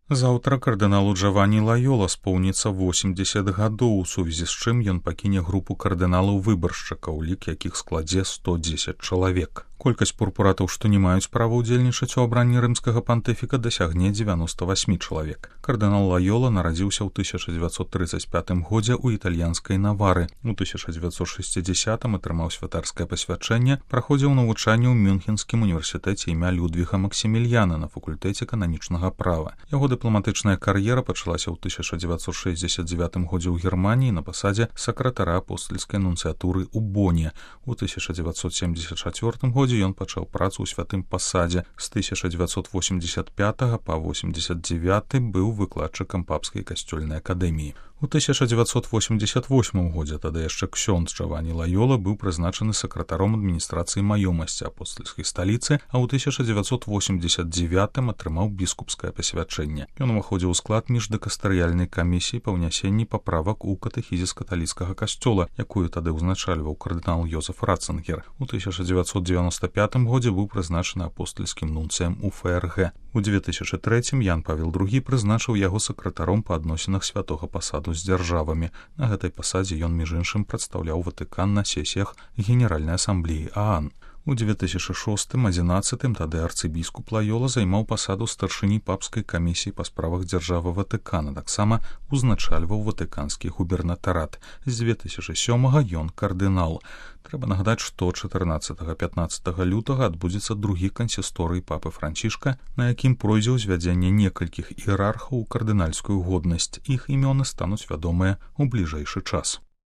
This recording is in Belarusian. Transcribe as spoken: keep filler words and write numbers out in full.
Заўтра кардыналу Джавані Лайола споўніцца восемьдесят гадоў, у сувязі з чым ён пакіне групу кардыналаў-выбаршчыкаў, лік якіх складзе сто дзесяць чалавек. Колькасць пурпуратаў, што не маюць права ўдзельнічаць у абранні рымскага пантыфіка, дасягне дзевяноста восемь чалавек. Кардынал Лайола нарадзіўся ў тысяча дзевяцьсот трыццаць пятым годзе ў італьянскай Навары. У тысяча дзевяцьсот шэсцідзясятым атрымаў святарскае пасвячэнне, праходзіў навучанне ў Мюнхенскім універсітэце імя Людвіга Максімільяна на факультэце кананічнага права. Яго дыпламатычная кар'ера пачалася ў тысяча дзевяцьсот шэсцьдзесят дзевятым годзе ў Германіі на пасадзе сакратара апостальскай нунцыятуры ў Боне. У тысяча дзевяцьсот семьдесят чацвёртым годзе ён пачаў працу ў святым пасадзе. З тысяча дзевяцьсот восемьдесят пятага па восемьдесят девяты быў выкладчыкам папскай касцёльнай акадэміі. У тысяча дзевяцьсот восемьдесят восьмым годзе тады яшчэ ксёндз Джавані Лайола быў прызначаны сакратаром адміністрацыі маёмасці апостальскай сталіцы, а ў тысяча дзевяцьсот восемьдесят девятым атрымаў біскупскае пасвячэнне. Ён уваходзіў у склад міждэкастарыяльнай камісіі па ўнясенні паправак у катэхізіс каталіцкага касцёла, якую тады ўзначальваў кардынал Йозеф Ратцынгер. У тысяча дзевяцьсот дзевяноста пятым годзе быў прызначаны апостальскім нунцыем у эф эр гэ. У две тысячи трэцім Ян Павел другі прызначыў яго сакратаром па адносінах святога пасаду з дзяржавамі. На гэтай пасадзе ён, між іншым, прадстаўляў Ватыкан на сесіях Генеральнай асамблеі а а эн. У две тысячи шостым адзінаццатым тады арцыбіскуп Лайола займаў пасаду старшыні папскай камісіі па справах дзяржавы Ватыкана, таксама узначальваў ватыканскі губернатарат. З две тысячи сёмага ён кардынал. Трэба нагадаць, што чатырнаццатага-пятнаццатага лютага адбудзецца другі кансісторый папы Францішка, на якім пройдзе ўзвядзенне некалькіх іерархаў у кардынальскую годнасць. Іх імёны стануць вядомыя ў бліжэйшы час.